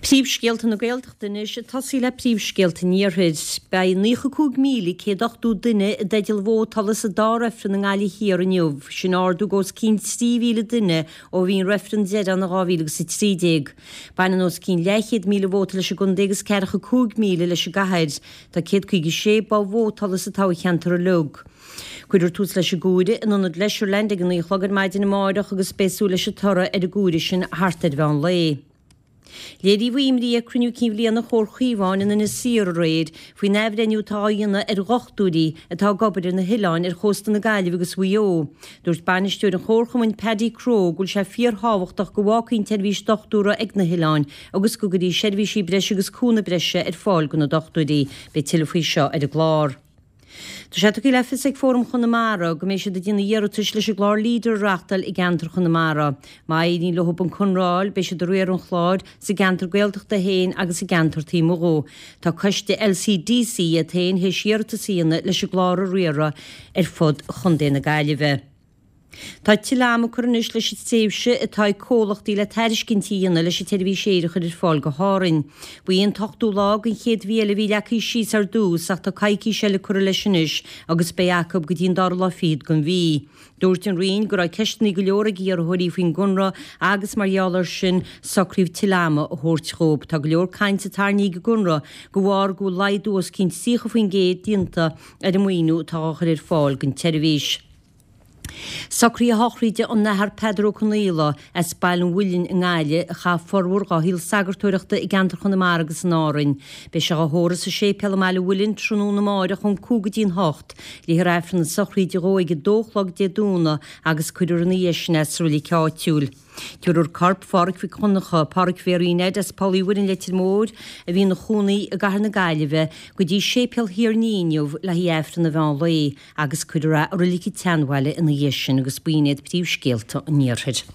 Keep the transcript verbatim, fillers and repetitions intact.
Príomhscéalta na Gaeltachta anois ag tosaí le príomhscéalta an Iarthair. Beidh naocha cúig míle céad ochtó duine i dteideal vótála sa dá reifreann i nGaillimh Thiar inniu. Sin ardú os cionn trí mhíle duine ó bhí an reifreann deiridh ann in dhá mhíle agus a trí déag. Baineann os cionn leathchéad míle vóta leis an gcontae agus ceathracha cúig míle leis an gcathair. Tá céad caoga sé both vótála sa toghcheantar uilig. Cuirfear tús leis an gcomhaireamh in ionad Leisureland ag a naoi a chlog ar maidin amárach agus beidh súil leis an toradh ar an gcomhaireamh sin thart ar mheán lae. Léiríodh imní ag cruinniú cinn bhliana Chomhar Chaomháin in Inis Oírr aréir faoin athbhreithniú atá á dhéanamh ar dhochtúirí atá ag obair ar na hoileáin ar chósta na Gaillimhe agus Mhaigh Eo. Dúirt bainisteoir an chomharchumainn Paddy Crowe go bhfuil sé fíorthábhachtach go bhfágfaí an tseirbhís dochtúra ag na hoileáin agus go gcuirfí seirbhísí breise agus cúnamh breise ar fáil do na dochtúirí. Beidh tuilleadh faoi seo ar an gclár. Tá sé tugtha le fios ag Fóram Chonamara go mbeidh siad ag déanamh iarratais leis an gclár Leader a reáchtáil i gceantar Chonamara. Má éiríonn leo an conradh a fháil, beidh siad ag riar an chláir sa gceantar Gaeltachta féin agus sa gceantar taobh amuigh dhó. Tá coiste LCDC iad féin théis iarratas a dhéanamh leis an gclár a riaradh ar fud Chontae na Gaillimhe. Tá tuilleadh ama curtha anois leis an tréimhse atá ag comhlachtaí le tairiscintí a dhéanamh leis an tseirbhís aeir a chur ar fáil go hÁrainn. Ba í an t-ochtú lá den chéad mhí eile a bhí leagtha síos ar dtús ach tá coicís eile curtha leis anois agus beidh acu go dtí an dara lá fichead den mhí. Dúirt an Roinn go raibh ceisteanna go leor ag iarrthóirí faoin gconradh agus mar gheall air sin socraíodh tuilleadh ama a thabhairt dhóibh. Tá go leor cainte tarraingthe ag an gconradh de bharr go bhfuil laghdú os cionn tríocha faoin gcéad déanta ar an maoiniú atá á chur ar fáil don tseirbhís. Socruithe sochraide an Athar Peadar Ó Conaola as Baile an Mhuilinn i nGaillimh a chaith formhór dhá shaol sagartóireachta i gceantar Chonamara agus in Árainn. Beidh sé á thórramh sa séipéal i mBaile an Mhuilinn tráthnóna amáireach ón cúig go dtí'n hocht. Léifear Aifreann na sochraide dhó ag a dó a chlog Dé Domhnaigh agus cuirfear ina dhiaidh sin é sa reilig áitiúil. Tabharfar corp Phádhraic Mhic Dhonncha, Pádhraic Mhéaraí Ned as Poll Uí Mhuirinn Leitir Móir, a bhí ina chónaí i gcathair na Gaillimhe, go dtí Séipéal Thír an Fhia inniu le haghaidh Aifreann an mheán lae agus cuirfear é i Reilig an tSeanbhaile ina dhiaidh sin agus b'in iad príomhscéalta an Iarthair.